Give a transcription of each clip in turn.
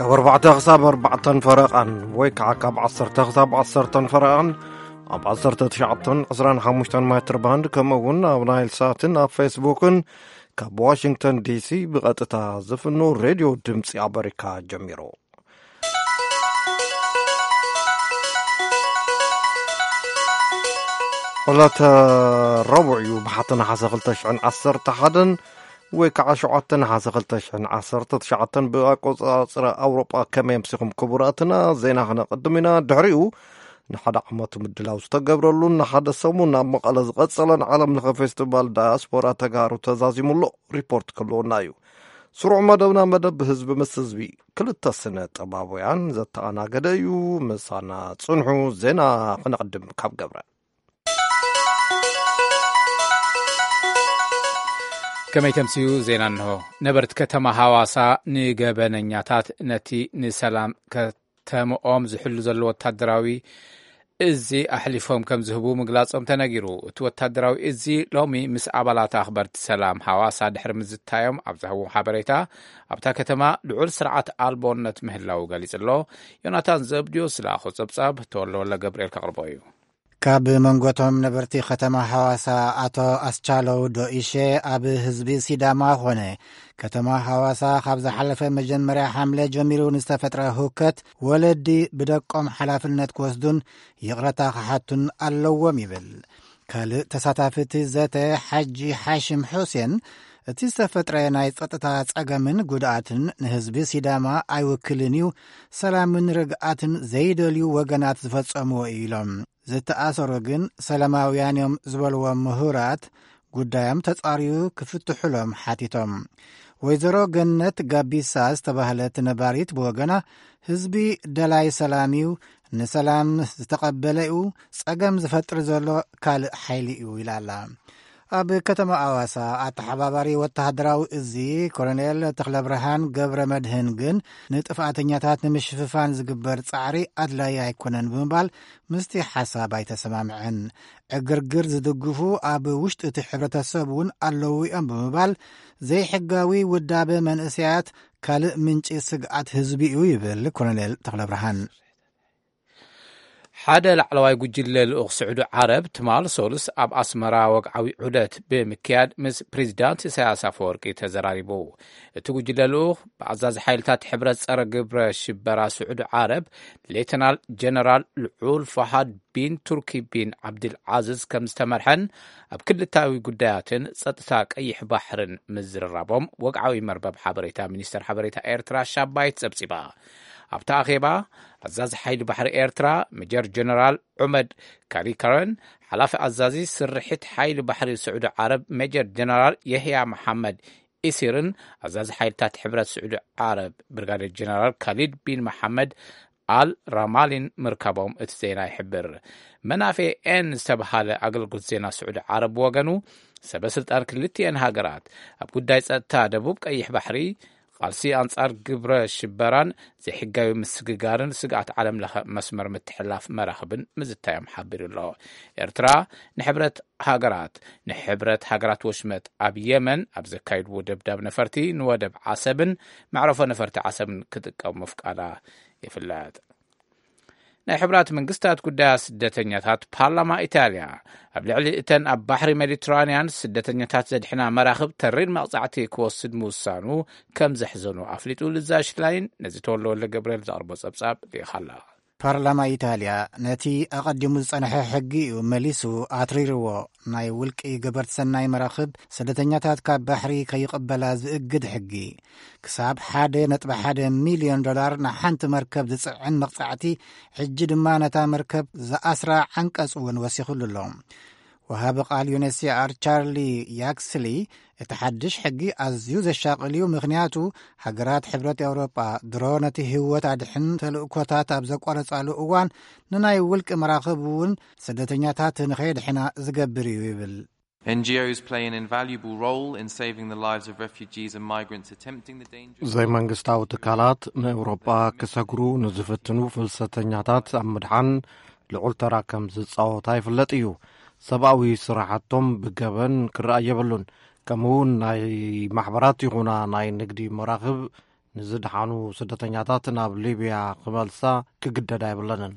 ካብ ኣርባዕተ ክሳብ ኣርባዕተን ፈረቓን ወይ ከዓ ካብ ዓሰርተ ክሳብ ዓሰርተን ፈረቓን ኣብ ዓሰርተ ትሽዓተን ዕስራን ሓሙሽተን ሜትር ባንድ፣ ከምኡ እውን ኣብ ናይል ሳትን ኣብ ፌስቡክን ካብ ዋሽንግተን ዲሲ ብቐጥታ ዝፍኖ ሬድዮ ድምፂ ኣመሪካ ጀሚሩ። ዕለተ ረቡዕ እዩ፣ ብሓተ ነሓሰ ክልተ ሽሕን ዓሰርተ ሓደን ወይ ከዓ ሸውዓተ ነሓሰ ክልተ ሽሕን ዓሰርተ ትሽዓተን ብኣቆፃፅራ ኣውሮጳ። ከመይ ኣምሲኹም ክቡራትና? ዜና ክነቐድም ኢና። ድሕሪኡ ንሓደ ዓመት ምድላው ዝተገብረሉን ንሓደ ሰሙን ኣብ መቐለ ዝቐጸለን ዓለም ለኸ ፌስቲቫል ዳያስፖራ ተጋሩ ተዛዚሙ ኣሎ። ሪፖርት ክህልወና እዩ። ስሩዕ መደብና መደብ ህዝቢ ምስ ህዝቢ ክልተ ስነ ጥበባውያን ዘተኣናገደ እዩ። ምሳና ጽንሑ። ዜና ክነቕድም ካብ ገብረ። ከመይ ተምስዩ? ዜና እንሆ። ነበርቲ ከተማ ሃዋሳ ንገበነኛታት ነቲ ንሰላም ከተምኦም ዝሕሉ ዘሎ ወታደራዊ እዚ ኣሕሊፎም ከም ዝህቡ ምግላጾም ተነጊሩ። እቲ ወታደራዊ እዚ ሎሚ ምስ ኣባላት ኣኽበርቲ ሰላም ሃዋሳ ድሕሪ ምዝታዮም ኣብ ዝሃብዎ ሓበሬታ፣ ኣብታ ከተማ ልዑል ስርዓት ኣልቦነት ምህላው ገሊጹ ኣሎ። ዮናታን ዘብድዮስ ዝለኣኾ ጸብጻብ ተወልደ ወልደ ገብርኤል ከቕርቦ እዩ። ካብ መንጎቶም ነበርቲ ከተማ ሃዋሳ ኣቶ ኣስቻለው ዶኢሼ ኣብ ህዝቢ ሲዳማ ኾነ ከተማ ሃዋሳ ካብ ዝሓለፈ መጀመርያ ሓምለ ጀሚሩ ንዝተፈጥረ ህውከት ወለዲ ብደቆም ሓላፍነት ክወስዱን ይቕረታ ክሓቱን ኣለዎም ይብል። ካልእ ተሳታፊ እቲ ዘተ ሓጂ ሓሽም ሑሴን እቲ ዝተፈጥረ ናይ ጸጥታ ጸገምን ጉድኣትን ንህዝቢ ሲዳማ ኣይውክልን እዩ፣ ሰላምን ርግኣትን ዘይደልዩ ወገናት ዝፈጸምዎ እዩ ኢሎም። ዝተኣሰሩ ግን ሰላማውያን እዮም ዝበልዎም ምሁራት ጉዳዮም ተጻርዩ ክፍትሑሎም ሓቲቶም። ወይዘሮ ገነት ጋቢሳ ዝተባህለት ነባሪት ብወገና ህዝቢ ደላይ ሰላም እዩ፣ ንሰላም ዝተቐበለ እዩ፣ ጸገም ዝፈጥር ዘሎ ካልእ ሓይሊ እዩ ኢላ ኣላ። ኣብ ከተማ ኣዋሳ ኣተሓባባሪ ወተሃደራዊ እዚ ኮሎኔል ተኽለብርሃን ገብረ መድህን ግን ንጥፍኣተኛታት ንምሽፍፋን ዝግበር ጻዕሪ ኣድላዪ ኣይኮነን ብምባል ምስቲ ሓሳብ ኣይተሰማምዐን። ዕግርግር ዝድግፉ ኣብ ውሽጢ እቲ ሕብረተሰብ እውን ኣለዉ እዮም ብምባል ዘይሕጋዊ ውዳበ መንእሰያት ካልእ ምንጪ ስግኣት ህዝቢ እዩ ይብል ኮሎኔል ተኽለብርሃን። ሓደ ላዕለዋይ ጉጅለ ልኡኽ ስዑዲ ዓረብ ትማል ሶሉስ ኣብ ኣስመራ ወግዓዊ ዑደት ብምክያድ ምስ ፕሬዚዳንት ኢሳያስ ኣፈወርቂ ተዘራሪቡ። እቲ ጉጅለ ልኡኽ ብኣዛዚ ሓይልታት ሕብረት ጸረ ግብረ ሽበራ ስዑዲ ዓረብ ሌተናል ጀነራል ልዑል ፋሃድ ቢን ቱርኪ ቢን ዓብድል ዓዝዝ ከም ዝተመርሐን ኣብ ክልታዊ ጉዳያትን ጸጥታ ቀይሕ ባሕርን ምዝርራቦም ወግዓዊ መርበብ ሓበሬታ ሚኒስተር ሓበሬታ ኤርትራ ሻባይት ጸብጺባ። ኣብቲ ኣኼባ ኣዛዚ ሓይሊ ባሕሪ ኤርትራ ሜጀር ጀነራል ዑመድ ካሪካረን፣ ሓላፊ ኣዛዚ ስርሒት ሓይሊ ባሕሪ ስዑዲ ዓረብ ሜጀር ጀነራል የህያ መሓመድ ኢሲርን ኣዛዚ ሓይልታት ሕብረት ስዑዲ ዓረብ ብርጋዴር ጀነራል ካሊድ ቢን መሓመድ ኣል ራማሊን ምርካቦም እቲ ዜና ይሕብር። መናፌ ኤን ዝተብሃለ ኣገልግሎት ዜና ስዑዲ ዓረብ ብወገኑ፣ ሰበ ስልጣን ክልቲኤን ሃገራት ኣብ ጉዳይ ጸጥታ ደቡብ ቀይሕ ባሕሪ፣ ቃልሲ ኣንጻር ግብረ ሽበራን ዘይሕጋዊ ምስግጋርን ስግኣት ዓለም ለኸ መስመር ምትሕልላፍ መራኽብን ምዝታዮም ሓቢሩ ኣሎ። ኤርትራ ንሕብረት ሃገራት፣ ንሕብረት ሃገራት ወሽመጥ ኣብ የመን ኣብ ዘካይድዎ ደብዳብ ነፈርቲ ንወደብ ዓሰብን መዕረፎ ነፈርቲ ዓሰብን ክጥቀም ምፍቃዳ ይፍለጥ። ናይ ሕቡራት መንግስታት ጉዳያት ስደተኛታት ፓርላማ ኢጣልያ ኣብ ልዕሊ እተን ኣብ ባሕሪ ሜዲትራንያን ስደተኛታት ዘድሕና መራኽብ ተሪር መቕጻዕቲ ክወስድ ምውሳኑ ከም ዘሕዘኑ ኣፍሊጡ። ልዛ ሽላይን ነዚ ተወልደ ወልደ ገብርኤል ዘቕርቦ ጸብጻብ ልኢኻላ። ፓርላማ ኢጣልያ ነቲ ኣቐዲሙ ዝጸንሐ ሕጊ እዩ መሊሱ ኣትሪርዎ። ናይ ውልቂ ገበርቲ ሰናይ መራኽብ ስደተኛታት ካብ ባሕሪ ከይቕበላ ዝእግድ ሕጊ፣ ክሳብ ሓደ ነጥቢ ሓደ ሚልዮን ዶላር ንሓንቲ መርከብ ዝጽዕን መቕጻዕቲ፣ ሕጂ ድማ ነታ መርከብ ዝኣስራ ዓንቀጽ እውን ወሲኹሉ ኣሎ። ወሃቢ ቃል ዩኤንኤችሲኣር ቻርሊ ያክስሊ፣ እቲ ሓድሽ ሕጊ ኣዝዩ ዘሻቕል እዩ፣ ምኽንያቱ ሃገራት ሕብረት ኤውሮጳ ድሮ ነቲ ህይወት ኣድሕን ተልእኮታት ኣብ ዘቋረጻሉ እዋን ንናይ ውልቂ መራኽብ እውን ስደተኛታት ንኸየድሕና ዝገብር እዩ ይብል። N G Os play an invaluable role in saving the lives of refugees and migrants attempting the dangerous ዘይመንግስታዊ ትካላት ንኤውሮጳ ክሰግሩ ንዝፍትኑ ፍልሰተኛታት ኣብ ምድሓን ልዑል ተራ ከም ዝጻወታ ይፍለጥ እዩ። ሰብኣዊ ስራሓቶም ብገበን ክረኣ የብሉን። ከምኡ እውን ናይ ማሕበራት ይኹና ናይ ንግዲ መራኽብ ንዝደሓኑ ስደተኛታት ናብ ሊብያ ክመልሳ ክግደዳ የብለንን።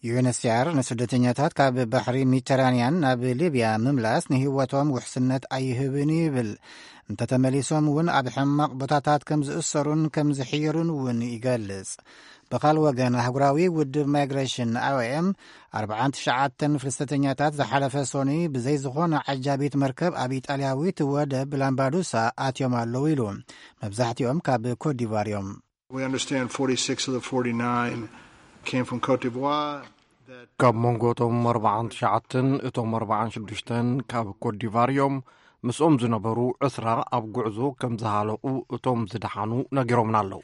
ዩ ኤን ኤች ሲ ኣር ንስደተኛታት ካብ ባሕሪ ሜዲተራንያን ናብ ሊብያ ምምላስ ንህይወቶም ውሕስነት ኣይህብን ይብል። እንተተመሊሶም እውን ኣብ ሕማቕ ቦታታት ከም ዝእሰሩን ከም ዝሕየሩን እውን ይገልጽ። ብኻል ወገን ኣህጉራዊ ውድብ ማይግሬሽን ኣይ ኦ ኤም ኣርባዓን ትሽዓተን ፍልሰተኛታት ዝሓለፈ ሶኒ ብዘይ ዝኾነ ዓጃቢት መርከብ ኣብ ኢጣልያዊት ወደብ ላምባዱሳ ኣትዮም ኣለዉ ኢሉ። መብዛሕትኦም ካብ ኮትዲቫር እዮም። We understand forty-six of the forty-nine came from Cote d'Ivoire. That ካብ መንጎ እቶም ኣርባዓን ትሽዓተን እቶም ኣርባዓን ሽዱሽተን ካብ ኮትዲቫር እዮም። ምስኦም ዝነበሩ ዕስራ ኣብ ጉዕዞ ከም ዝሃለቑ እቶም ዝደሓኑ ነጊሮምና ኣለዉ።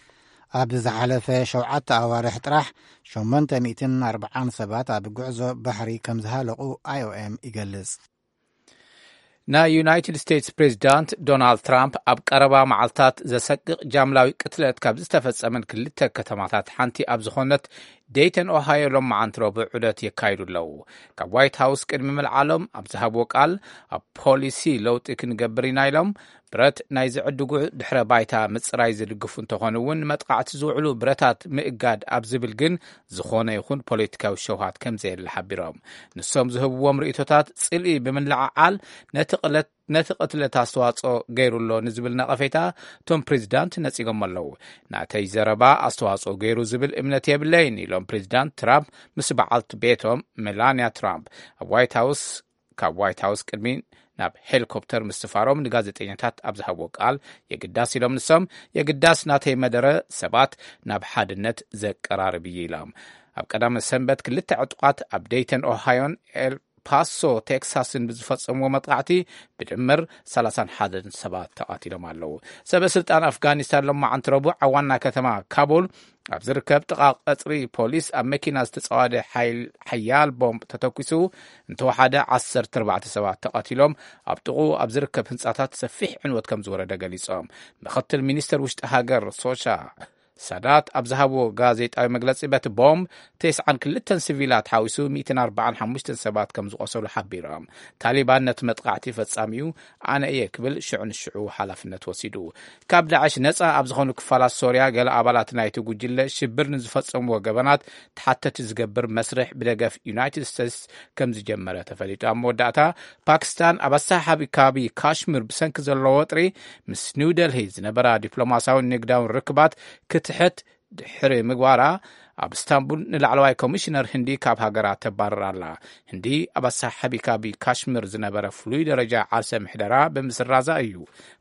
ኣብ ዝሓለፈ ሸውዓተ ኣዋርሕ ጥራሕ ሸሞንተ ሚእትን ኣርባዓን ሰባት ኣብ ጉዕዞ ባሕሪ ከም ዝሃለቑ ኣይ ኦ ኤም ይገልጽ። ናይ ዩናይትድ ስቴትስ ፕሬዚዳንት ዶናልድ ትራምፕ ኣብ ቀረባ መዓልታት ዘሰቅቕ ጃምላዊ ቅትለት ካብ ዝተፈጸመን ክልተ ከተማታት ሓንቲ ኣብ ዝኾነት ደይተን ኦሃዮ ሎም መዓንቲ ረቡዕ ዑደት የካይዱ ኣለዉ። ካብ ዋይት ሃውስ ቅድሚ ምልዓሎም ኣብ ዝሃብዎ ቃል፣ ኣብ ፖሊሲ ለውጢ ክንገብር ኢና ኢሎም። ብረት ናይ ዝዕድጉ ድሕረ ባይታ ምጽራይ ዝድግፉ እንተኾኑ እውን፣ ንመጥቃዕቲ ዝውዕሉ ብረታት ምእጋድ ኣብ ዝብል ግን ዝኾነ ይኹን ፖለቲካዊ ሸውሃት ከም ዘየለ ሓቢሮም። ንሶም ዝህብዎም ርእይቶታት ጽልኢ ብምልዓዓል ነቲ ቅለት ነቲ ቅትለት ኣስተዋጽኦ ገይሩ ኣሎ ንዝብል ነቐፌታ እቶም ፕሬዚዳንት ነጺጎም ኣለዉ። ናተይ ዘረባ ኣስተዋጽኦ ገይሩ ዝብል እምነት የብለይን ኢሎም ፕሬዚዳንት ትራምፕ ምስ በዓልቲ ቤቶም ሜላንያ ትራምፕ ኣብ ዋይት ሃውስ ካብ ዋይት ሃውስ ቅድሚ ናብ ሄሊኮፕተር ምስፋሮም ንጋዜጠኛታት ኣብ ዝሃብዎ ቃል፣ የግዳስ ኢሎም ንሶም፣ የግዳስ ናተይ መደረ ሰባት ናብ ሓድነት ዘቀራርብ እዩ ኢሎም። ኣብ ቀዳመ ሰንበት ክልተ ዕጡቓት ኣብ ደይተን ኦሃዮን ኤል ፓሶ ቴክሳስን ብዝፈጸምዎ መጥቃዕቲ ብድምር ሰላሳን ሓደን ሰባት ተቓቲሎም ኣለዉ። ሰበ ስልጣን ኣፍጋኒስታን ሎማዓንቲ ረቡዕ ኣብ ዋና ከተማ ካቡል ኣብ ዝርከብ ጥቓ ቀጽሪ ፖሊስ ኣብ መኪና ዝተጸዋደ ሓይል-፣ ሓያል ቦምብ ተተኲሱ እንተወሓደ ዓሰርተ ኣርባዕተ ሰባት ተቐቲሎም፣ ኣብ ጥቕኡ ኣብ ዝርከብ ህንጻታት ሰፊሕ ዕንወት ከም ዝወረደ ገሊጾም። ምኽትል ሚኒስተር ውሽጢ ሃገር ሶሻ ሳዳት ኣብ ዝሃብዎ ጋዜጣዊ መግለጺ፣ በቲ ቦምብ ተስዓን ክልተን ሲቪላት ሓዊሱ ሚእትን ኣርባዓን ሓሙሽተን ሰባት ከም ዝቖሰሉ ሓቢሮም። ታሊባን ነቲ መጥቃዕቲ ፈጻሚኡ ኣነ እየ ክብል ሽዑ ንሽዑ ሓላፍነት ወሲዱ። ካብ ዳዕሽ ነጻ ኣብ ዝኾኑ ክፋላት ሶርያ፣ ገለ ኣባላት ናይቲ ጉጅለ ሽብር ንዝፈጸምዎ ገበናት ተሓተቲ ዝገብር መስርሕ ብደገፍ ዩናይትድ ስቴትስ ከም ዝጀመረ ተፈሊጡ። ኣብ መወዳእታ፣ ፓኪስታን ኣብ ኣሰሓሓቢ ካቢ ካሽሚር ብሰንኪ ዘለዎ ወጥሪ ምስ ኒው ደልሂ ዝነበራ ዲፕሎማስያውን ንግዳውን ርክባት ክትሕት ድሕሪ ምግባራ፣ ኣብ እስታንቡል ንላዕለዋይ ኮሚሽነር ህንዲ ካብ ሃገራ ተባርር ኣላ። ህንዲ ኣብ ኣሰሓሓቢ ካቢ ካሽሚር ዝነበረ ፍሉይ ደረጃ ዓርሰ ምሕደራ ብምስራዛ እዩ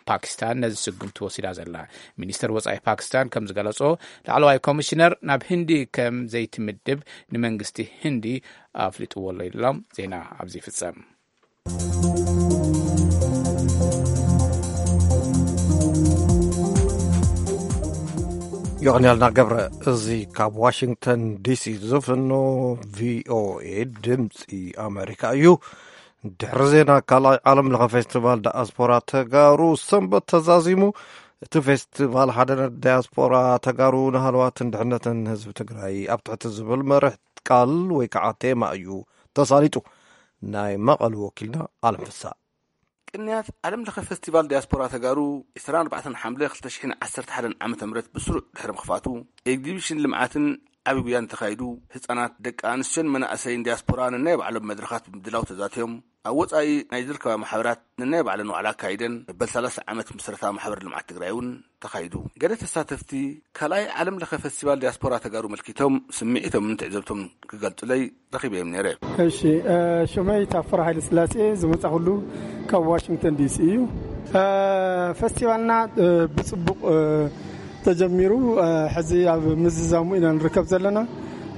ፓኪስታን ነዚ ስጉምቲ ወሲዳ ዘላ። ሚኒስተር ወጻኢ ፓኪስታን ከም ዝገለጾ፣ ላዕለዋይ ኮሚሽነር ናብ ህንዲ ከም ዘይትምድብ ንመንግስቲ ህንዲ ኣፍሊጥዎ ኣሎ ኢሎም። ዜና ኣብዚ ይፍጸም። ዮቕንያልና ገብረ። እዚ ካብ ዋሽንግተን ዲሲ ዝፍኖ ቪኦኤ ድምፂ ኣሜሪካ እዩ። ድሕሪ ዜና፣ ካልኣይ ዓለም ለኸ ፌስቲቫል ዳያስፖራ ተጋሩ ሰንበት ተዛዚሙ። እቲ ፌስቲቫል ሓድነት ዳያስፖራ ተጋሩ ንሃለዋትን ድሕነትን ህዝቢ ትግራይ ኣብ ትሕቲ ዝብል መርሕ ቃል ወይ ከዓ ቴማ እዩ ተሳሊጡ። ናይ መቐሉ ወኪልና ኣለም ፍሳ። ቅንያት ዓለም ለኸ ፌስቲቫል ዲያስፖራ ተጋሩ ዕስራን ኣርባዕተን ሓምለ ክልተ ሽሕን ዓሰርተ ሓደን ዓመተ ምህረት ብስሩዕ ድሕሪ ምኽፋቱ፣ ኤግዚቢሽን ልምዓትን ዓቢ ጉያን ተኻይዱ፣ ህጻናት፣ ደቂ ኣንስትዮን መናእሰይን ዲያስፖራ ነናይ ባዕሎም መድረኻት ብምድላው ተዛትዮም፣ ኣብ ወጻኢ ናይ ዝርከባ ማሕበራት ነናይ ባዕለን ዋዕላ ኣካይደን፣ መበል ሰላሳ ዓመት ምስረታ ማሕበር ልምዓት ትግራይ እውን ተኻይዱ። ገለ ተሳተፍቲ ካልኣይ ዓለም ለኸ ፌስቲቫል ዲያስፖራ ተጋሩ መልኪቶም ስምዒቶምን ትዕዘብቶም ክገልጹለይ ረኺበዮም ነይረ። እሺ፣ እ፣ ሽመይ ታፈራ ሃይለ ስላሴ፣ ዝመጻኹሉ ካብ ዋሽንግተን ዲሲ እዩ። እ፣ ፈስቲቫልና፣ እ፣ ብጽቡቕ፣ እ፣ ተጀሚሩ፣ እ፣ ሕዚ ኣብ ምዝዛሙ ኢና ንርከብ ዘለና።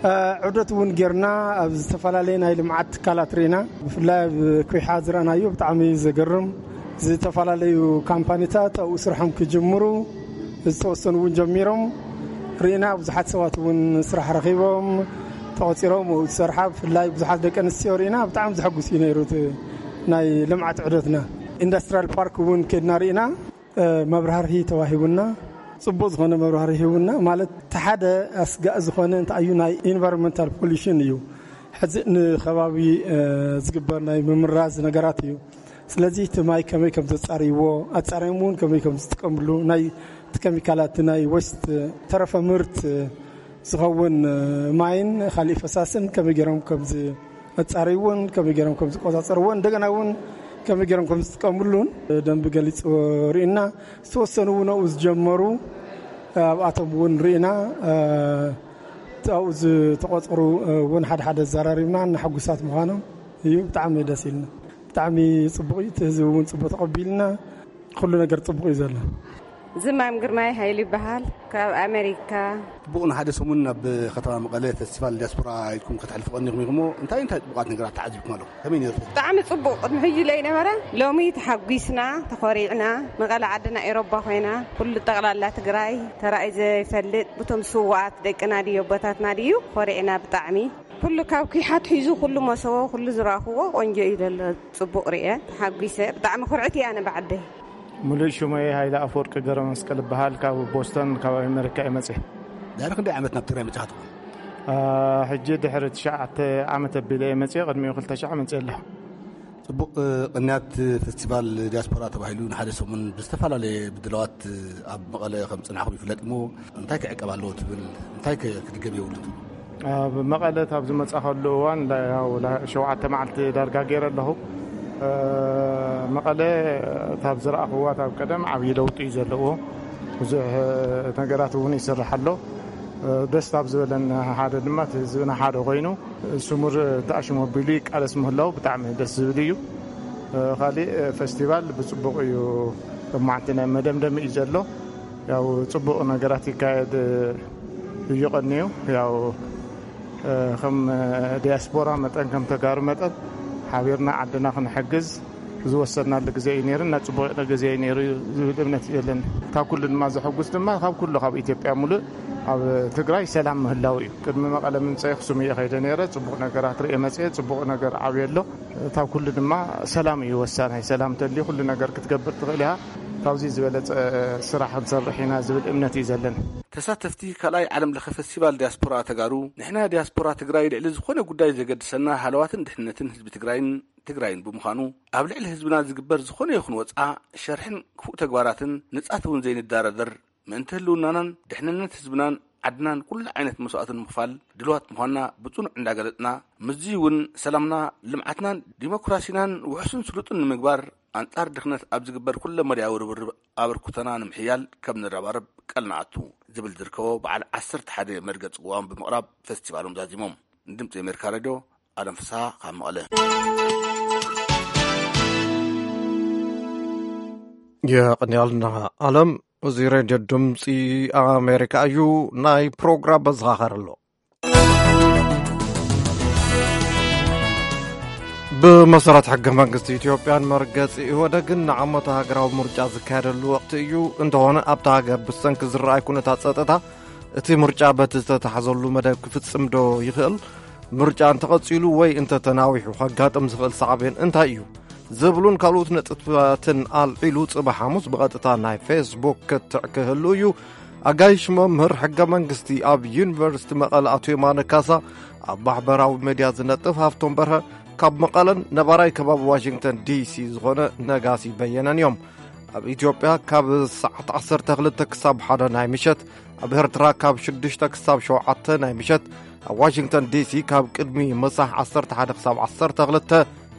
እ፣ ዑደት እውን ጌርና ኣብ ዝተፈላለየ ናይ ልምዓት ትካላት ርኢና። ብፍላይ ኣብ ኩሓ ዝረኣናዮ ብጣዕሚ ዘገርም፣ ዝተፈላለዩ ካምፓኒታት ኣብኡ ስርሖም ክጅምሩ ዝተወሰኑ እውን ጀሚሮም ርኢና። ብዙሓት ሰባት እውን ስራሕ ረኺቦም ተቖፂሮም ኣብኡ ዝሰርሓ፣ ብፍላይ ብዙሓት ደቂ ኣንስትዮ ርኢና። ብጣዕሚ ዘሐጉስ እዩ ነይሩ እቲ ናይ ልምዓት ዑደትና። ኢንዱስትሪያል ፓርክ እውን ከድና ርኢና። እ፣ መብራህርሂ ተዋሂቡና፣ ጽቡቕ ዝኾነ መብራህርሂ ሂቡና። ማለት፣ እቲ ሓደ ኣስጋእ ዝኾነ እንታይ እዩ፣ ናይ ኢንቫይሮንመንታል ፖሊሽን እዩ። ሕዚ ንኸባቢ፣ እ፣ ዝግበር ናይ ምምራዝ ነገራት እዩ። ስለዚ እቲ ማይ ከመይ ከም ዘጻርይዎ፣ ኣጻርዮም እውን ከመይ ከም ዝጥቀምሉ፣ ናይ እቲ ኬሚካላት ናይ ወስት ተረፈ ምርት ዝኸውን ማይን ካሊእ ፈሳስን ከመይ ገይሮም ከምዚ ኣጻርይዎን ከመይ ገይሮም ከም ዝቆጻጸርዎ እንደገና እውን ከመይ ገይሮም ከም ዝጥቀምሉን ደንብ ገሊጽ ርኢና ዝተወሰኑ እውን ኣብኡ ዝጀመሩ ኣብኣቶም እውን ርኢና ኣብኡ ዝተቆጸሩ እውን ሓደ ሓደ ኣዘራሪብና እና ሕጉሳት ምዃኖም እዩ። ብጣዕሚ ደስ ኢልና። ብጣዕሚ ጽቡቕ እዩ። እቲ ህዝቢ እውን ጽቡቕ ተቐቢልና። ኩሉ ነገር ጽቡቕ እዩ ዘሎ። ዝማም ግርማይ ሃይሉ ይበሃል፣ ካብ ኣሜሪካ። ጽቡቕ፣ ንሓደ ሰሙን ናብ ከተማ መቐለ ፈስቲቫል ዲያስፖራ ኢልኩም ከተሕልፉ ቀኒኹም ኢኹም። እንታይ እንታይ ጽቡቓት ነገራት ተዓዚብኩም ኣለኹም? ከመይ ነይሩ? ብጣዕሚ ጽቡቕ። ቅድሚ ሕጂ ለይነበረ፣ ሎሚ ተሓጒስና፣ ተኾሪዕና። መቐለ ዓድና ኤሮባ ኮይና፣ ኩሉ ጠቕላላ ትግራይ ተራእዩ ዘይፈልጥ፣ ብቶም ስውኣት ደቅና ድዩ ኣቦታትና ድዩ፣ ኮሪዕና ብጣዕሚ። ኩሉ ካብ ኲሓት ሒዙ፣ ኩሉ መሰቦ፣ ኩሉ ዝረኣኽዎ ቆንጆ እዩ ዘሎ። ጽቡቕ ርኤ፣ ተሓጒሰ። ብጣዕሚ ኩርዕቲ እየ ኣነ ብዓደይ። ሙሉእ ሽመይ ሃይለ ኣፈወርቂ ገብረ መስቀል እበሃል። ካብ ቦስተን፣ ካብ ኣሜሪካ እየ መፅእ። ድሕሪ ክንደይ ዓመት ናብ ትግራይ መፂኻ ትኾን? አ፣ ሕጂ ድሕሪ ትሽዓተ ዓመት ኣቢለ እየ መፅእ። ቅድሚኡ ክልተ ሽሕ መፅእ ኣለኹ። ጽቡቕ፣ እ፣ ቅንያት ፈስቲቫል ዲያስፖራ ተባሂሉ ንሓደ ሰሙን ብዝተፈላለየ ምድላዋት ኣብ መቐለ ከም ጽናሕኩም ይፍለጥ እሞ፣ እንታይ ክዕቀብ ኣለዎ ትብል? እንታይ ከ ክድገም የብሉን ትብል? ኣብ መቐለ ካብ ዝመጻኸሉ እዋን፣ ላ-፣ ያው፣ ላ-፣ ሸውዓተ መዓልቲ ዳርጋ ገይረ ኣለኹ። እ፣ መቐለ ካብ ዝረኣኽዋ ካብ ቀደም ዓብዪ ለውጢ እዩ ዘለዎ። ብዙሕ ነገራት እውን ይስራሕ ኣሎ። እ፣ ደስ ካብ ዝበለን ሓደ ድማ እቲ ህዝብና ሓደ ኮይኑ ስሙር ተኣሽሙ ኣቢሉ ይቃለስ ምህላው ብጣዕሚ ደስ ዝብል እዩ። እ፣ ካሊእ፣ እ፣ ፈስቲቫል ብጽቡቕ እዩ። ሎማዕንቲ ናይ መደምደሚ እዩ ዘሎ። ያው ጽቡቕ ነገራት ይካየድ እዩ ቀንዩ። ያው፣ እ፣ ከም ዲያስፖራ መጠን፣ ከም ተጋሩ መጠን ሓቢርና ዓድና ክንሕግዝ ዝወሰድናሉ ግዜ እዩ ነይሩ፣ እና ጽቡቕ ግዜ እዩ ነይሩ ዝብል እምነት እዩ ዘለኒ። ካብ ኩሉ ድማ ዘሐጉስ ድማ ካብ ኩሉ ካብ ኢትዮጵያ ሙሉእ ኣብ ትግራይ ሰላም ምህላው እዩ። ቅድሚ መቐለ ምምፀይ ኣኽሱም እየ ከይደ ነይረ። ጽቡቕ ነገራት ርእየ መፅየ፣ ጽቡቕ ነገር ዓብየ ኣሎ። ካብ ኩሉ ድማ ሰላም እዩ ወሳናይ። ሰላም እንተልዩ ኩሉ ነገር ክትገብር ትኽእል ኢኻ። ካብዚ ዝበለፀ ስራሕ ክንሰርሕ ኢና ዝብል እምነት እዩ ዘለኒ። ተሳተፍቲ ካልኣይ ዓለም ለኸ ፈስቲቫል ዲያስፖራ ተጋሩ፣ ንሕና ዲያስፖራ ትግራይ ልዕሊ ዝኾነ ጉዳይ ዘገድሰና ሃለዋትን ድሕንነትን ህዝቢ ትግራይን ትግራይን ብምዃኑ፣ ኣብ ልዕሊ ህዝብና ዝግበር ዝኾነ ይኹን ወፅዓ፣ ሸርሕን ክፉእ ተግባራትን ንፃት እውን ዘይንደራደር፣ ምእንቲ ህልውናናን ድሕንነት ህዝብናን ዓድናን ኩሉ ዓይነት መስዋእቲ ንምኽፋል ድልዋት ምዃንና ብፅኑዕ እንዳገለፅና፣ ምስዚ እውን ሰላምና፣ ልምዓትናን ዲሞክራሲናን ውሑስን ስሉጥን ንምግባር፣ ኣንፃር ድኽነት ኣብ ዝግበር ኩለመዳያዊ ርብርብ ኣበርክቶና ንምሕያል ከም ንረባረብ ቃል ንኣቱ ዝብል ዝርከቦ በዓል ዓሰርተ ሓደ መርገፂ ቅዋም ብምቕራብ ፈስቲቫሎም ዛዚሞም። ንድምፂ ኣሜሪካ ሬድዮ፣ ኣለም ፍስሃ ካብ መቐለ። የቐንያልና ኣለም። እዚ ሬድዮ ድምፂ ኣሜሪካ እዩ። ናይ ፕሮግራም መዘኻኸር ኣሎ። ብመሰረት ሕገ መንግስቲ ኢትዮጵያን መርገፂ ኢህወደግን ንዓመታዊ ሃገራዊ ምርጫ ዝካየደሉ ወቕቲ እዩ። እንተኾነ ኣብታ ሃገር ብሰንኪ ዝረኣይ ኩነታት ጸጥታ እቲ ምርጫ በቲ ዝተታሕዘሉ መደብ ክፍጽም ዶ ይኽእል? ምርጫ እንተቐጺሉ ወይ እንተተናዊሑ ከጋጥም ዝኽእል ሳዕቤን እንታይ እዩ? ዝብሉን ካልኦት ነጥብታትን ኣልዒሉ ጽባሕ ሓሙስ ብቐጥታ ናይ ፌስቡክ ክትዕ ክህሉ እዩ። ኣጋይሽ መምህር ሕገ መንግስቲ ኣብ ዩኒቨርሲቲ መቐለ ኣቶ የማነ ካሳ፣ ኣብ ማሕበራዊ ሜድያ ዝነጥፍ ሃፍቶም በርሀ፣ ካብ መቐለን ነባራይ ከባቢ ዋሽንግተን ዲሲ ዝኾነ ነጋሲ በየነን እዮም። ኣብ ኢትዮጵያ ካብ ሰዓት ዓሰርተ ክልተ ክሳብ ሓደ ናይ ምሸት፣ ኣብ ኤርትራ ካብ ሽዱሽተ ክሳብ ሸውዓተ ናይ ምሸት፣ ኣብ ዋሽንግተን ዲሲ ካብ ቅድሚ ምሳሕ ዓሰርተ ሓደ ክሳብ ዓሰርተ ክልተ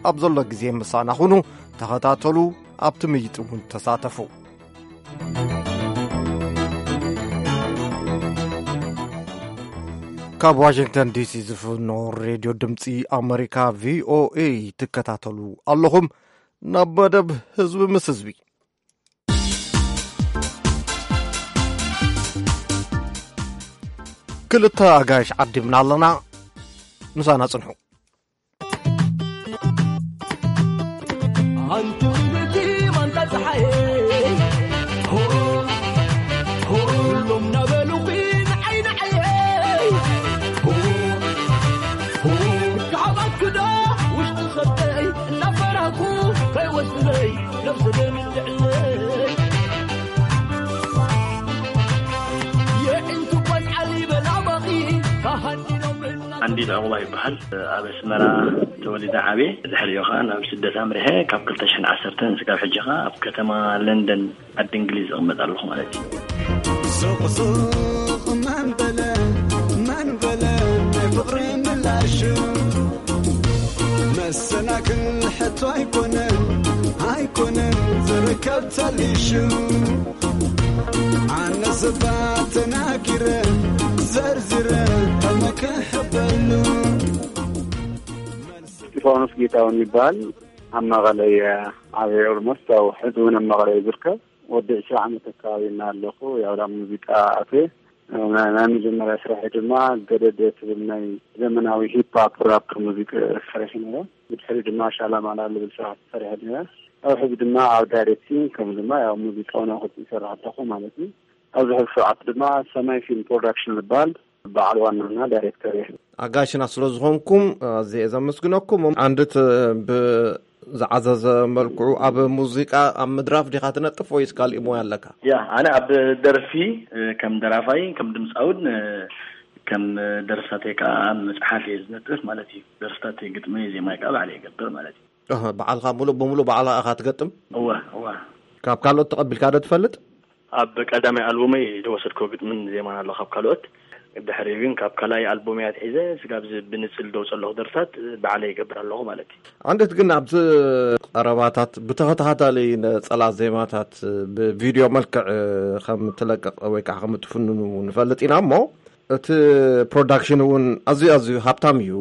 ኣብ ዘሎ ግዜ ምሳና ኩኑ፣ ተኸታተሉ፣ ኣብቲ ምይይጥ እውን ተሳተፉ። ካብ ዋሽንግተን ዲሲ ዝፍኖ ሬድዮ ድምፂ ኣመሪካ ቪኦኤ ትከታተሉ ኣለኹም። ናብ መደብ ህዝቢ ምስ ህዝቢ ክልተ ኣጋይሽ ዓዲምና ኣለና። ምሳና ጽንሑ። ኣንቲ ውብቲ ማንታ ፀሓየ፣ ሆ፣ ሆ፣ ሎም ናበሉኺ ንዓይ ንዓየ፣ ሆ፣ ሆ፣ ክሃባክዶ ውሽጢ ኸብተይ እናፈራኩ ከይወስድለይ ነብሲ ደምትዕለይ። የዕንቱ ቆልዓ ሊበላ ባኺ ካሃዲኖም እና ኣንዲት ዕቑባ ይበሃል። ኣብ ኣስመራ ተወሊደ ዓብየ። ድሕሪኡ ኸዓ ናብ ስደት ኣምሪሐ። ካብ ክልተ ሽሕን ዓሰርተን እስካብ ሕጂ ኸዓ ኣብ ከተማ ለንደን ዓዲ እንግሊዝ እቕመጥ ኣለኹ ማለት እዩ። ሱቕ ሱቕ መን በለ፣ መን በለ ናይ ፍቕሪ ምላሹ። መሰናክል ሕቶ ኣይኮነን፣ ኣይኮነን ዝርከብ ተሊሹ። ኣነ ስባ ተናጊረ፣ ዘርዚረ ከመክሕበሉ። እስጢፋኖስ ጌታሁን ይበሃል። ኣብ መቐለ እየ ዓብየ። ኦልሞስት ያው ሕዚ እውን ኣብ መቐለ እየ ዝርከብ። ወዲ ዕስራ ዓመት ኣካባቢ እና ኣለኹ። ያው ናብ ሙዚቃ ኣትየ። ናይ፣ ናይ መጀመርያ ስራሒ ድማ ገደደ ትብል ናይ ዘመናዊ ሂፕ ሆፕ ራፕ ሙዚቃ ሰሪሐ ነይረ። ብድሕሪ ድማ ሻላማላ ዝብል ስራሕ ሰሪሐ ነይረ። ኣብ ሕዚ ድማ ኣብ ዳይሬክቲንግ ከም ድማ ያው ሙዚቃ እውን ኣብ ክልተ ይሰርሕ ኣለኹ ማለት እዩ። ኣብዚ ሕዚ ሰዓት ድማ ሰማይ ፊልም ፕሮዳክሽን ዝበሃል በዓል ዋናና ዳይሬክተር እየ። ኣጋሽና ስለ ዝኾንኩም ኣዝየ እየ ዘመስግነኩም። ኣንድት ብዝዓዘዘ መልክዑ ኣብ ሙዚቃ ኣብ ምድራፍ ዲኻ ትነጥፍ ወይስ ካሊእ ሞያ ኣለካ? ያ፣ ኣነ ኣብ ደርፊ፣ እ፣ ከም ደራፋይ፣ ከም ድምፃውን፣ እ፣ ከም ደርፍታተይ ከዓ ኣብ መፅሓፍ እየ ዝነጥፍ ማለት እዩ። ደርፍታተይ ግጥሚ፣ ዜማይ ከዓ ባዕለ ይገብር ማለት እዩ። ኣህ፣ በዓልኻ ሙሉእ ብሙሉእ ባዕልኻ ኢኻ ትገጥም? እወ፣ እወ። ካብ ካልኦት ተቐቢልካ ዶ ትፈልጥ? ኣብ ቀዳማይ ኣልቡመይ ዝወሰድኮ ግጥምን ዜማን ኣሎ ካብ ካልኦት። ድሕሪኡ ግን ካብ ካልኣይ ኣልቡመይ ኣትሒዘ ስጋብ እዚ ብንጽል ደውጸ ኣለኹ ደርፍታት ባዕለይ ይገብር ኣለኹ ማለት እዩ። ኣንድት ግን ኣብዚ ቀረባታት ብተኸታታሊ ነጸላ ዜማታት ብቪድዮ መልክዕ ከም ትለቅቕ ወይ ከዓ ከም ትፍንኑ ንፈልጥ ኢና እሞ፣ እቲ ፕሮዳክሽን እውን ኣዝዩ ኣዝዩ ሃብታም እዩ።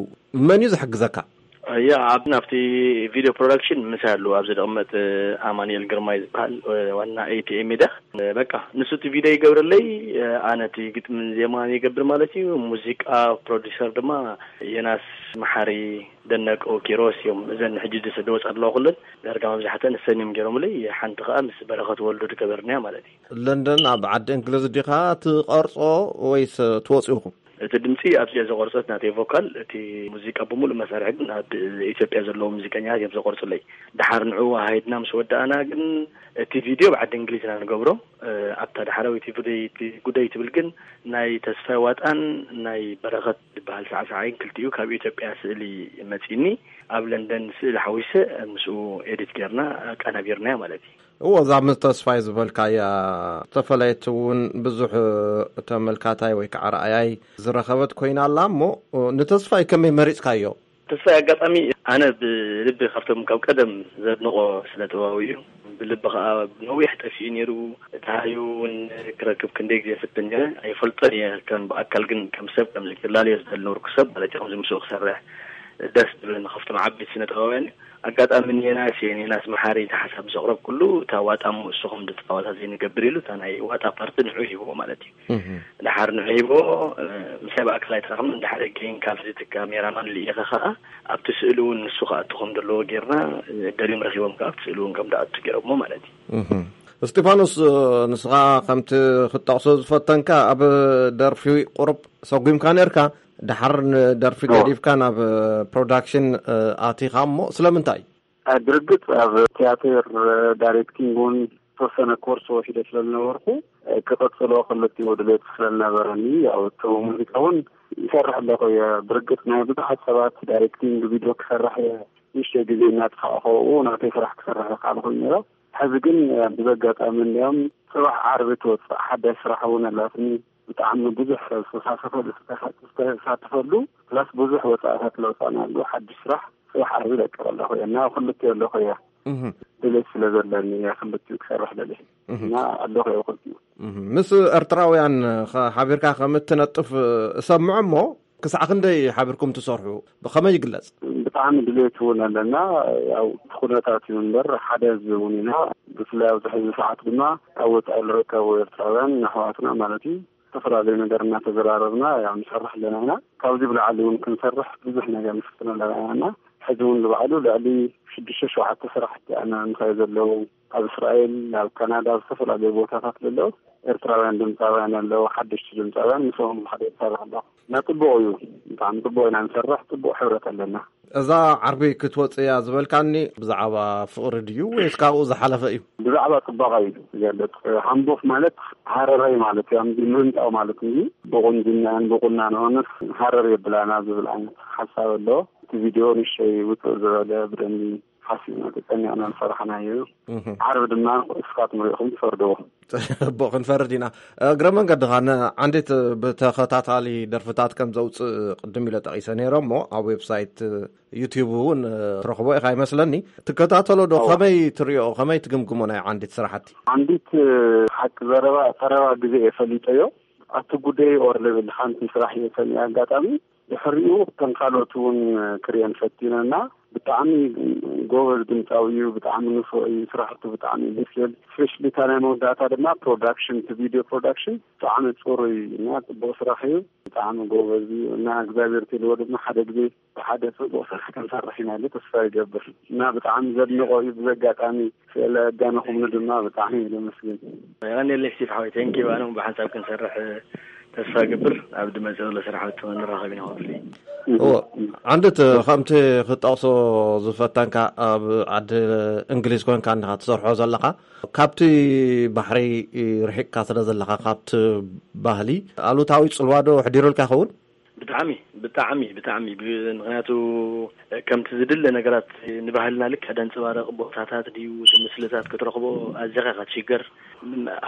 መን እዩ ዝሕግዘካ? ያ፣ ኣብ፣ ናብቲ ቪድዮ ፕሮዳክሽን ምሳይ ኣለዉ። ኣብዚ ዝቕመጥ ኣማኑኤል ግርማይ ዝበሃል ዋና ኤ ቲ ኤ ሚድያ። በቃ፣ ንሱ እቲ ቪድዮ ይገብረለይ፣ ኣነ እቲ ግጥምን ዜማን ይገብር ማለት እዩ። ሙዚቃ ፕሮዲሰር ድማ ዮናስ መሓሪ፣ ደነቀው ኪሮስ እዮም። እዘን ሕጂ ዝወጻ ኣለዋ ኩለን ዳርጋ መብዛሕተን እሰን እዮም ገይሮምለይ። ሓንቲ ከኣ ምስ በረኸት ወልዱ ዝገበርናያ ማለት እዩ። ለንደን ኣብ ዓዲ እንግሊዝ ዲኻ ትቐርጾ ወይስ ትወጽኡ ኢኹም? እቲ ድምጺ ኣብዚኣ ዝቐርጾት ናተይ ቮካል፣ እቲ ሙዚቃ ብምሉእ መሳርሒ ግን ኣብ ኢትዮጵያ ዘለዉ ሙዚቀኛታት እዮም ዝቐርጹለይ። ደሓር ንዕኡ ኣሃይድና ምስ ወዳእና ግን እቲ ቪድዮ ኣብ ዓዲ እንግሊዝ ኢና ንገብሮ። እ፣ ኣብታ ዳሕራዊት ጉዳይ፣ እቲ ጉዳይ ትብል ግን ናይ ተስፋይ ዋጣን ናይ በረኸት ዝበሃል ሳዕሳዓይን ክልቲኡ ካብ ኢትዮጵያ ስእሊ መጺኒ፣ ኣብ ለንደን ስእሊ ሓዊሰ ምስኡ ኤዲት ጌርና ኣቀናቢርናያ ማለት እዩ። እዎ፣ እዛ ምስ ተስፋይ ዝበልካያ ዝተፈለየት እውን ብዙሕ ተመልካታይ ወይ ከዓ ረኣያይ ዝረኸበት ኮይና ኣላ። እሞ ንተስፋይ ከመይ መሪጽካዮ? ተስፋይ ኣጋጣሚ ኣነ ብልቢ ካብቶም ካብ ቀደም ዘድንቖ ስነ ጥበባዊ እዩ። ብልቢ ከዓ ነዊሕ ጠፊኡ ነይሩ። እቲ ሃዩ እውን ክረክብ ክንደይ ግዜ ፍትን ነይረ። ኣይፈልጦን እየ ከም ብኣካል፣ ግን ከም ሰብ ከምዚ ክላለዮ ዝደሊ ነበርኩ ሰብ ማለት እዩ። ከምዚ ምስኡ ክሰርሕ ደስ ዝብለኒ ካብቶም ዓበይቲ ስነ ጥበባውያን እዩ። ኣጋጣሚ ኔናስ እየ፣ ኔናስ መሓሪ፣ እቲ ሓሳብ ምስ ኣቕረብኩሉ፣ እታ ዋጣ እሞ እሱ ከም ዝፃወታ ዘይንገብር ኢሉ፣ እታ ናይ ዋጣ ፓርቲ ንዑ ሂብዎ ማለት እዩ። እህ። ድሓር ንዑ ሂብዎ፣ እ፣ ምሳይ ብኣካል ኣይተራኸብን። ድሓር ገይን ካብዚ እቲ ካሜራማን ልኢኸ ኸዓ ኣብቲ ስእሊ እውን ንሱ ክኣቱ ከም ዘለዎ ጌርና፣ እ፣ ደልዮም ረኺቦም ከዓ ኣብቲ ስእሊ እውን ከም ዝኣቱ ገይሮሞ ማለት እዩ። እህ። እስጢፋኖስ፣ እ፣ ንስኻ ከምቲ ክትጠቕሶ ዝፈተንካ ኣብ ደርፊ ቁሩብ ሰጒምካ ነርካ፣ ድሓር ንደርፊ እዎ። ገዲፍካ ናብ ፕሮዳክሽን፣ እ፣ ኣቲኻ እሞ ስለምንታይ? እ፣ ብርግጽ ኣብ ቲያትር፣ እ፣ ዳይሬክቲንግ እውን ዝተወሰነ ኮርስ ወሲደ ስለ ዝነበርኩ፣ እ፣ ክቐጽሎ ክልቲኡ ድሌት ስለ ዝነበረኒ፣ ያው እቲ ሙዚቃ እውን ይሰርሕ ኣለኹ እየ። ብርግጽ ናይ ብዙሓት ሰባት ዳይሬክቲንግ ቪድዮ ክሰርሕ እየ፣ ንእሽተይ ግዜ እናጥፋእኹ ናተይ ስራሕ ክሰርሕ ይኽኣል ኮይኑ ነይረ። ሕዚ ግን፣ እ፣ ብዘጋጣሚ እንዲኦም ጽባሕ ዓርቢ ትወጽእ ሓዳሽ ስራሕ እውን ኣላትኒ። ብጣዕሚ ብዙሕ ሰብ ዝተሳተፈሉ፣ ዝተሳተፈሉ፣ ፕላስ ብዙሕ ወፃእታት ለውፃና ኣሎ። ሓድሽ ስራሕ ጽባሕ ዓርቢ ለቅቕ ኣለኹ እየ እና ክልቲኡ ኣለኹ እየ። እህ። ድሌት ስለ ዘለኒ እየ ክልቲኡ ክሰርሕ ደልየ እህ። እና ኣለኹ እየ ክልቲኡ። እህ። ምስ ኤርትራውያን ኸ-፣ ሓቢርካ ከም እትነጥፍ እሰምዖ እሞ፣ ክሳዕ ክንደይ ሓቢርኩም ትሰርሑ? ብኸመይ ይግለጽ? ብጣዕሚ ድሌት እውን ኣለና። ያው እቲ ኩነታት እዩ እምበር ሓደ ህዝቢ እውን ኢና። ብፍላይ ኣብዚ ሕዚ ሰዓት ድማ ኣብ ወፃኢ ዝርከቡ ኤርትራውያን ኣሕዋትና ማለት እዩ፣ ዝተፈላለዩ ነገር እናተዘራረብና ያው ንሰርሕ ኣለና ኢና። ካብዚ ብላዕሊ እውን ክንሰርሕ ብዙሕ ነገር ንፍትን ኣለና ኢና። ሕዚ እውን ንባዕሉ ልዕሊ ሽዱሽተ ሸውዓተ ስራሕቲ ኣነ ምሳይ ዘለዉ ኣብ እስራኤል፣ ኣብ ካናዳ፣ ኣብ ዝተፈላለዩ ቦታታት ዘለዉ ኤርትራውያን ድምፃውያን ኣለዉ፣ ሓደሽቲ ድምፃውያን፣ ምስኦም ሓደ ይሰርሕ ኣለኹ። እና ጽቡቕ እዩ፣ ብጣዕሚ ጽቡቕ ኢና ንሰርሕ፣ ጽቡቕ ሕብረት ኣለና። እዛ ዓርቢ ክትወጽእ እያ ዝበልካኒ ብዛዕባ ፍቕሪ ድዩ ወይስ ካብኡ ዝሓለፈ እዩ? ብዛዕባ ጽባቐ እዩ ዝገልጽ። ሃምቦፍ ማለት ሃረራይ ማለት እዩ፣ ኣምዚ ምህንጣው ማለት እዩ። ብቑንጅናን ብቑናኖንስ ሃረር የብላና ዝብል ዓይነት ሓሳብ ኣሎ። እቲ ቪድዮ ንእሽተይ ውጽእ ዝበለ ብደንቢ ሓሲብና ተጨኒቕና ዝሰራሕናዮ እዩ። ዓርቢ ድማ እስካትኩም ርኢኹም ትፈርድዎ። እቦ ክንፈርድ ኢና። እግረ መንገድኻ ንዓንዲት ብተኸታታሊ ደርፍታት ከም ዘውፅእ ቅድም ኢለ ጠቒሰ ነይረ እሞ ኣብ ዌብሳይት ዩቲዩብ እውን ትረኽቦ ኢኻ ይመስለኒ። ትከታተሎ ዶ? ከመይ ትሪኦ? ከመይ ትግምግሞ ናይ ዓንዲት ስራሕቲ? ዓንዲት ሓቂ ዘረባ ቀረባ ግዜ እየ ፈሊጠዮ። ኣቲ ጉደይ ኦር ልብል ሓንቲ ስራሕ እየ ሰሚዐ ኣጋጣሚ። ድሕሪኡ ከም ካልኦት እውን ክርእየን ፈቲነና። ብጣዕሚ ጎበዝ ድምፃዊ እዩ። ብጣዕሚ ንፉዕ እዩ። ስራሕቱ ብጣዕሚ ደስ ይብል። ስፔሻሊ እታ ናይ መወዳእታ ድማ ፕሮዳክሽን፣ እቲ ቪድዮ ፕሮዳክሽን ብጣዕሚ ፅሩይ እና ፅቡቅ ስራሕ እዩ። ብጣዕሚ ጎበዝ እዩ እና እግዚኣብሔር ትልዎ ድማ ሓደ ግዜ ብሓደ ጽቡቕ ስራሕ ክንሰርሕ ኢና ኢለ ተስፋ ይገብር እና ብጣዕሚ ዘድንቖ እዩ። ብዚ ኣጋጣሚ ስለ ኣዳነኹምኒ ድማ ብጣዕሚ እየ ዘመስግን። የቐንየለይ ስቲፍ ሓወይ፣ ቴንኪ ዩ። ኣነ እውን ብሓንሳብ ክንሰርሕ ተስፋ እገብር። ኣብ ድመጽእ ዘሎ ስራሕ ንራኸብ ኢና ክፍሊ። እዎ፣ ዓንድት ከምቲ ክትጠቕሶ ዝፈተንካ ኣብ ዓዲ እንግሊዝ ኮንካ እንዲኻ ትሰርሖ ዘለኻ፣ ካብቲ ባሕሪ ርሒቕካ ስለ ዘለኻ ካብቲ ባህሊ ኣሉታዊ ጽልዋ ዶ ኣሕዲሩልካ ይኸውን? ብጣዕሚ፣ ብጣዕሚ፣ ብጣዕሚ። ብ-፣ ምኽንያቱ ከምቲ ዝድለ ነገራት ንባህልና ልክዕ ደንጸባርቕ ቦታታት ድዩ፣ እቲ ምስልታት ክትረኽቦ ኣዚኻ ኢኻ ትሽገር።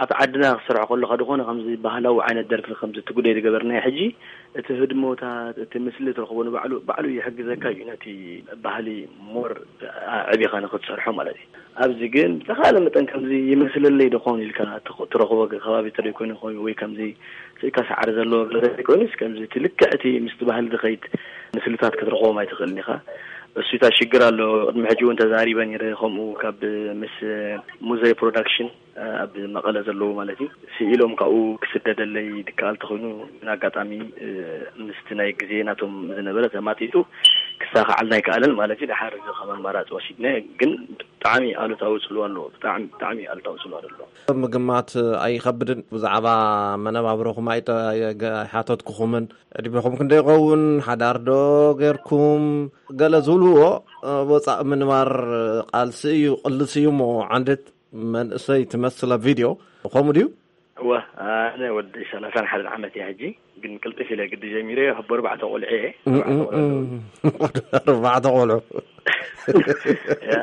ኣብ ዓድና ክሰርሖ ከለኻ ዝኾነ ከምዚ ባህላዊ ዓይነት ደርፊ ከምዚ እቲ ጉዳይ ዝገበርናዮ ሕጂ፣ እቲ ህድሞታት፣ እቲ ምስሊ ትረኽቦ ንባዕሉ፣ ባዕሉ ይሕግዘካ እዩ ነቲ ባህሊ ሞር ኣዕቢኻ ንኽትሰርሖ ማለት እዩ። ኣብዚ ግን ብዝተኻለ መጠን ከምዚ ይመስለለይ ዶ ኾን ኢልካ ትኽ-፣ ትረኽቦ ከባቢ ተደይኮይኑ ኾይኑ ወይ ከምዚ ስእካ ሳዕሪ ዘለዎ ገዛ ዘይኮይኑስ፣ ከምዚ እቲ ልክዕ እቲ ምስቲ ባህሊ ዝኸይድ ምስልታት ክትረኽቦም ኣይትኽእልን ኢኻ። እሱ እታ ሽግር ኣሎ። ቅድሚ ሕጂ እውን ተዛሪበ ነይረ፣ ከምኡ ካብ ምስ ሙዘይ ፕሮዳክሽን ኣብ መቐለ ዘለዉ ማለት እዩ፣ ስኢሎም ካብኡ ክስደደለይ ድከኣል ተኾይኑ፣ ግን ኣጋጣሚ ምስቲ ናይ ግዜ ናቶም ዝነበረ ተማጢጡ ክሳኻዓልና ኣይከኣለን ማለት እዩ። ድሓር እዚ ከም ኣማራፂ ወሲድና፣ ግን ብጣዕሚ ኣሉታዊ ጽልዋ ኣለዎ። ብጣዕሚ፣ ብጣዕሚ ኣሉታዊ ጽልዋ ኣለዎ። ምግማት ኣይኸብድን። ብዛዕባ መነባብሮኹም ኣይተ-፣ ኣይገ-፣ ኣይሓተትኩኹምን። ዕድሜኹም ክንደይ ይኸውን? ሓዳር ዶ ጌርኩም? ገለ ዝብልዎ፣ እ፣ ወጻእ ምንባር ቃልሲ እዩ፣ ቅልሲ እዩ እሞ፣ ዓንድት መንእሰይ ትመስል ኣብ ቪድዮ። ከምኡ ድዩ? እወ፣ ኣነ ወዲ ሰላሳን ሓደን ዓመት እየ ሕጂ፣ ግን ቅልጥፍ ኢለ ግዲ ጀሚረ፣ ኣብ ኣርባዕተ ቆልዑ እየ። እም፣ ኣርባዕተ እም፣ ቆልዑ ኣለዉ። እም። ኣርባዕተ ቆልዑ። ያ፣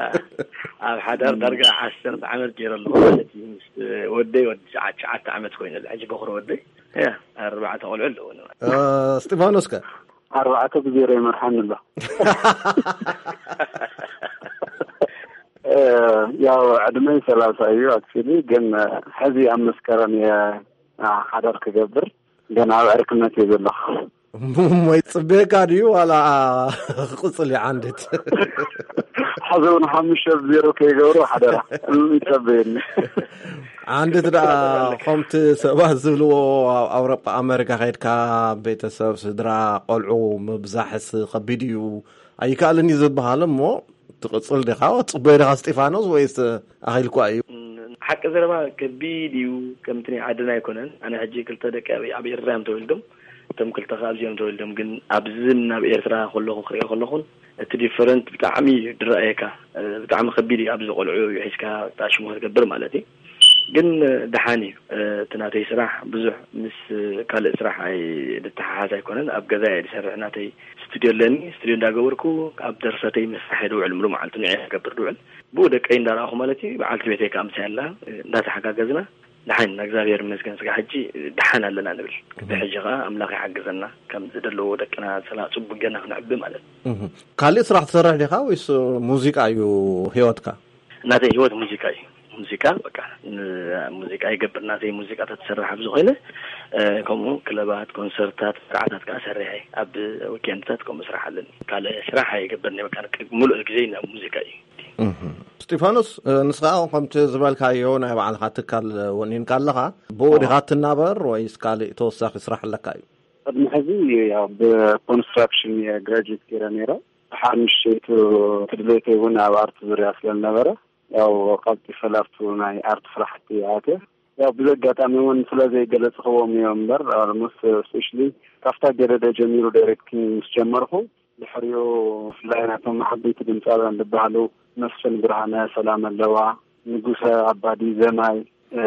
ኣብ ሓዳር ዳርጋ ዓሰርተ ዓመት ገይረ ኣለኹ ማለት እዩ። ምስ ወደይ ወዲ ትሽዓ-፣ ትሽዓተ ዓመት ኮይኑ፣ ሕጂ በኹሪ ወደይ። ያ፣ ኣርባዕተ ቆልዑ ኣለዉኒ። እ፣ እስጢፋኖስ ከ? ኣርባዕተ ብዜሮ ይመርሓኒ ኣሎ። እ፣ ያው ዕድመይ ሰላሳ እዩ፣ ኣክቹሊ፣ ግን፣ እ፣ ሕዚ ኣብ መስከረም እየ፣ እ፣ ሓዳር ክገብር፣ ግን ኣብ ዕርክነት እየ ዘለኹ። እሞ ይጽበየካ ድዩ ዋላ ክቕጽል እዩ ዓንድት? ሕዚ እውን ሓሙሽተ ብዜሮ ከይገብሩ ሓደራ፣ እም፣ ይጸበየኒ። ዓንድት ደኣ ከምቲ ሰባት ዝብልዎ ኣብ ኣውሮጳ ኣመሪካ ከይድካ ቤተሰብ ስድራ ቆልዑ ምብዛሕስ ከቢድ እዩ ኣይከኣልን እዩ ዝበሃል እሞ ትቕጽል ዲኻ? ትጽበዮ ዲኻ እስጢፋኖስ ወይስ ኣኺልኳ እዩ? ሓቂ ዘረባ ከቢድ እዩ፣ ከምቲ ናይ ዓድና ኣይኮነን። ኣነ ሕጂ ክልተ ደቂ ኣብ፣ ኣብ ኤርትራ እዮም ተወሊዶም፣ እቶም ክልተ ከኣ ኣብዚኦም ተወሊዶም። ግን ኣብዚ ናብ ኤርትራ ከለኹ ክሪኦ ከለኹን እቲ ዲፈረንት ብጣዕሚ እዩ ድረኣየካ። እ፣ ብጣዕሚ ከቢድ እዩ ኣብዚ ቆልዑ ሒዝካ ሽሙ ክትገብር ማለት እዩ። ግን፣ እ፣ ደሓን እዩ። እ፣ እቲ ናተይ ስራሕ ብዙሕ ምስ ካልእ ስራሕ ኣይ-፣ ዝተሓሓዝ ኣይኮነን። ኣብ ገዛ እየ ዝሰርሕ። ናተይ ስቱድዮ ኣለኒ። ስቱድዮ እንዳገበርኩ ኣብ ደርሰተይ ምስራሕ እየ ዝውዕል። ሙሉ መዓልቲ ንዕየ ዝገብር ዝውዕል። ብኡ ደቀይ እንዳረኣኹ ማለት እዩ። በዓልቲ ቤተይ ከኣ ምሳይ ኣላ። እ፣ እንዳተሓጋገዝና ደሓን፣ እግዚኣብሔር ይመስገን፣ ስጋ ሕጂ ደሓን ኣለና ንብል። እቲ ሕጂ ኸዓ ኣምላኽ ይሓግዘና፣ ከም ዝደለዎ ደቅና ሰላ-፣ ጽቡቅ ጌርና ክንዕቢ ማለት እዩ። እህ። ካልእ ስራሕ ትሰርሕ ዲኻ ወይስ ሙዚቃ እዩ ህይወትካ? ናተይ ህይወት ሙዚቃ እዩ። ሙዚቃ፣ በቃ፣ ን-፣ ሙዚቃ ይገብር። ናተይ ሙዚቃ ተትሰርሕ ኣብዚ ኮይነ፣ እ፣ ከምኡ ክለባት፣ ኮንሰርታት፣ መርዓታት ከኣ ሰርሐ። ኣብ ዊኬንድታት ከምኡ ስራሕ ኣለኒ። ካልእ ስራሕ ኣይገብርን እየ። በቃ፣ ሙሉእ ግዜ ናብ ሙዚቃ እዩ። እህ። እስጢፋኖስ፣ እ፣ ንስኻ ከምቲ ዝበልካዮ ናይ ባዕልኻ ትካል ወኒንካ ኣለኻ፣ ብኡ ዲኻ ትናበር ወይስ ካልእ ተወሳኺ ስራሕ ኣለካ እዩ? ቅድሚ ሕዚ ያው ብኮንስትራክሽን እየ ግራጁዌት ገይረ ነይረ። ድሓር ንእሽተይቱ ድሌተይ እውን ኣብ ኣርት ዙርያ ስለ ዝነበረ፣ ያው ቀልጢፈ ላብቱ ናይ ኣርት ስራሕቲ ኣትየ። ያው ብዘጋጣሚ እውን ስለ ዘይገለጽኽዎም እዮም እምበር፣ ኣልሞስት ስፔሻሊ ካብታ ገደደ ጀሚሩ ዳይሬክቲንግ ምስ ጀመርኩ፣ ድሕሪኡ ብፍላይ ናቶም ዓበይቲ ድምፃውያን ዝበሃሉ መስፍን ብርሃነ፣ ሰላም ኣለዋ፣ ንጉሰ ኣባዲ፣ ዘማይ፣ እ፣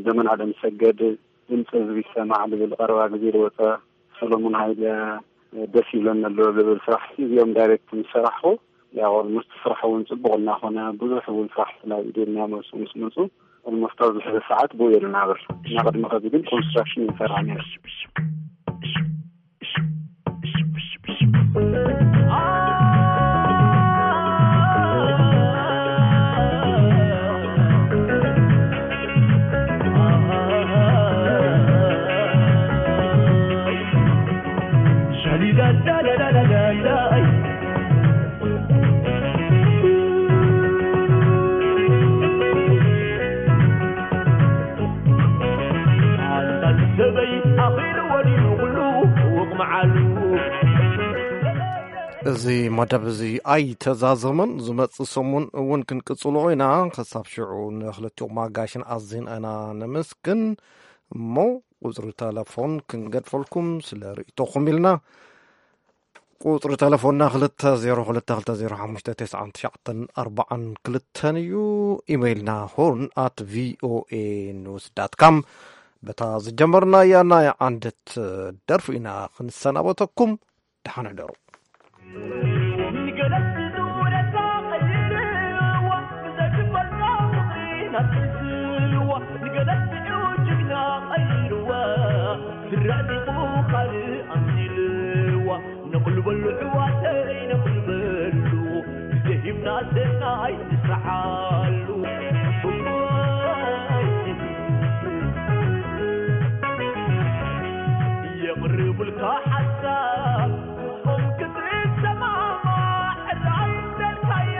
ዘመን ኣለምሰገድ፣ ድምፂ ህዝቢ ይሰማዕ ዝብል ቀረባ ግዜ ዝወፀ፣ ሰሎሙን ሃይለ፣ እ፣ ደስ ይብለኒ ኣሎ ዝብል ስራሕ እዚኦም ዳይሬክት ምስ ሰራሕኹ፣ ያው ኦልሞስት ስራሕ እውን ጽቡቕ እናኾነ፣ ብዙሕ እውን ስራሕ ስለ ኢደና መልሱ ምስ መጹ፣ ኦልሞስት ኣብዚ ሕዚ ሰዓት ብኡ እየ ዝናበር። እና ቅድሚ ኸዚ ግን ኮንስትራክሽን ይሰራ ነይሩ። እዚ መደብ እዚ ኣይተዛዘመን። ዝመጽእ ሰሙን እውን ክንቅጽሎ ኢና። ክሳብ ሽዑ ንክልቲኦም ኣጋይሽን ኣዚና ኢና ነመስግን። እሞ ቁጽሪ ተለፎን ክንገድፈልኩም ስለ ርእይቶኹም ኢልና። ቁጽሪ ተለፎንና ክልተ ዜሮ ክልተ ክልተ ዜሮ ሓሙሽተ ተስዓን ትሽዓተን ኣርባዓን ክልተን እዩ። ኢሜይልና ሆርን ኣት ቪኦኤ ኒውስ ዳት ካም። በታ ዝጀመርናያ ናይ ዓንደት ደርፊ ኢና ክንሰናበተኩም። ደሓን ሕደሩ። ንገለት ዙረታ ቀይርዋ፣ ብዘግበልካ ፍቕሪ ናብ ትዝልዋ፣ ንገለት ጅግና ቀይርዋ፣ ዝረዕጢቑ ካልእ ኣምሲልዋ፣ ነቕልበሉ ኣሕዋተይ ነቕልበሉ፣ ግዜ ሂብና ሰናይ ንስርሓሉ። የቕርቡልካ ሓሳብ ጾም ክትሰማማዕ ራስ ደልካዮ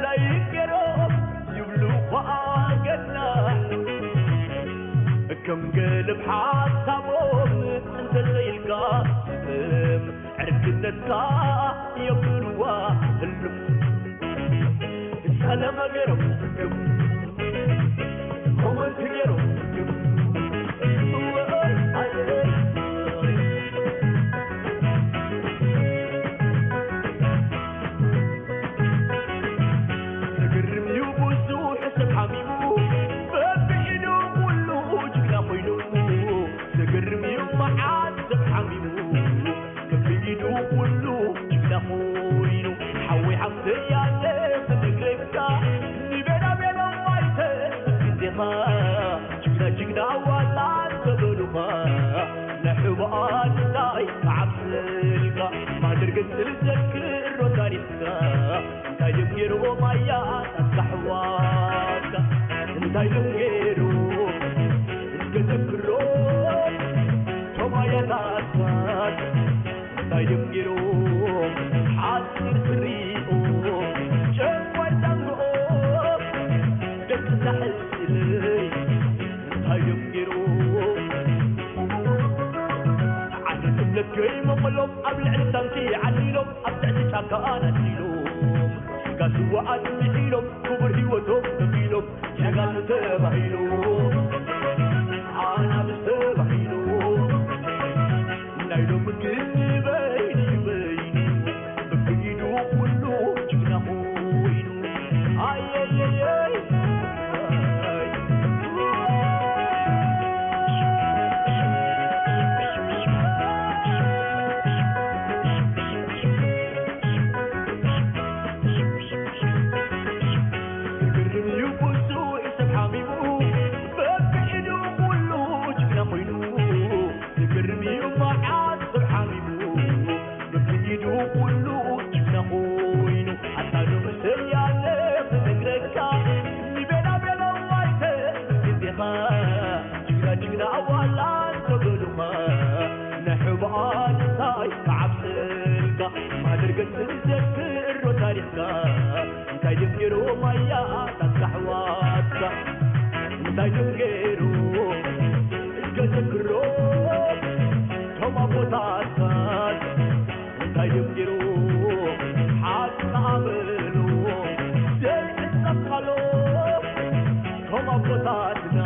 ላይክ ገይሮም ይብሉ ኸኣ ገና። ከም ገለብ ሓሳቦም እንተዘይልካ ስም ዕርክነትካ የብልዋ ህልም። ጸለመ ገይሮም ትርግም፣ ኮመንት ገይሮም ትርግም። ዝግርም እዩ ብዙሕ ሰብ ሓሚሙ፣ በብኢዱ ኩሉ ጅግና ኮይኑ። ዝግርም እዩ መዓት ሰብ ሓሚሙ፣ በብኢዱ ኩሉ ጅግና ኮይኑ። ሓወይ ሓፍተይ ኣለ ክነግረካ፣ ንቤላ ቤሎም ኣይተብዝሕ ግዜኻ። ጅግና ጅግና ዋላ እንተበሉኻ፣ ንሕቡኣ እንታይ ክዓብስልካ? ማህደር ገጽ ዝዘክሮ ታሪኽካ፣ እንታይ ድዮም ገይሮም ኣያታት ኣሕዋትካ? እንታይ ድዮም ገይሮም እስከ ዘክሮ፣ ቶም ኣያታትካ እንታይ ድዮም ገይሮም? ሓጺር ስሪኦም፣ ጨንቋይ ዛንግኦም፣ ደቂ ሳሕል ኢለይ እንታይ ድዮም ገይሮም? ዓዲ እምነት ከይመቐሎም ኣብ ልዕሊ ታንኪ ዓሊሎም ኣብ ትሕቲ ጫካ ኣናዲሎም ስጋ ስዋኣት ምሒሎም ክቡር ህይወቶም ከፊሎም ጀጋኑ ተባሂሎም ኣናብስ ተባሂሎም ናይ ሎሚ ግን በይኑ በይኑ በብኢዱ ኩሉ ጅግና ኮይኑ ኣየየየይ ዝግርም እዩ ብዙሕ ሰብ ሓሚሙ በብኢዱ ኩሉ ጅግና ኮይኑ ዝገርም እዩ መዓት ሰብ ሓሚሙ በብኢዱ ኩሉ ጅግና ኮይኑ ኣታ ንእሰይ ኣለ ክነግረካ ንቤላ ቤላ ዋይተ ግዜኻ ጅግና ጅግና ኣዋላ እንተበሉኻ ንሕቡኣ እንታይ ክዓብሰልካ ማደር ገጽ ዘክሮ ታሪኽካ እንታይ ድዮም ገይሮም ኣያታት ኣሕዋትካ እንታይ ድዮም ገይሮም እስከ ዘክሮ ቶም ኣቦታትካ እንታይ ድዮም ገይሮም ሓቂ ኣበሎ ዘይዕጸፋሎ ቶም ኣቦታትና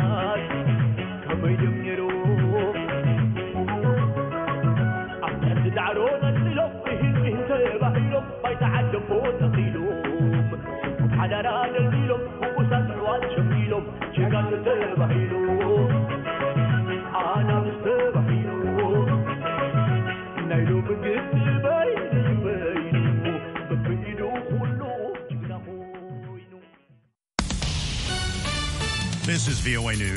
ከመይ ድዮም ገይሮም ኣብ ትሕቲ ዳዕሮ ነጽሎም እሂን እሂን ተባሂሎም ባይታ ዓደቦ ተኺሎም ሓዳራ ደልዲሎም ብቁሳት ኣሕዋት ሸሚሎም ጀጋኑ ተባሂሎም ኣናብስ ተባሂሎም ናይ ሎሚ ግን በይኑ በይኑ በብኢዱ This is V O A News.